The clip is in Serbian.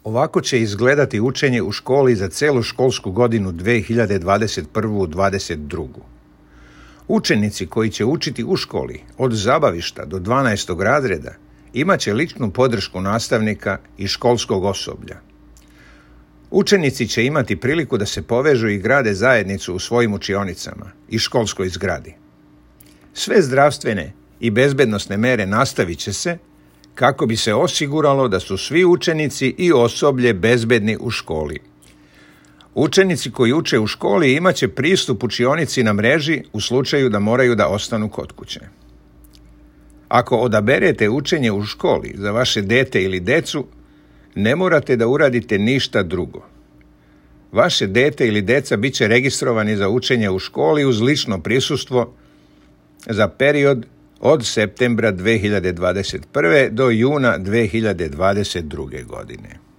Ovako će izgledati učenje u školi za celu školsku godinu 2021-2022. Učenici koji će učiti u školi od zabavišta do 12. razreda imat će ličnu podršku nastavnika i školskog osoblja. Učenici će imati priliku da se povežu i grade zajednicu u svojim učionicama i školskoj zgradi. Sve zdravstvene i bezbednosne mere nastavit će se kako bi se osiguralo da su svi učenici i osoblje bezbedni u školi. Učenici koji uče u školi imat će pristup učionici na mreži u slučaju da moraju da ostanu kod kuće. Ako odaberete učenje u školi za vaše dete ili decu, ne morate da uradite ništa drugo. Vaše dete ili deca bit će registrovani za učenje u školi uz lično prisustvo za period od septembra 2021. do juna 2022. godine.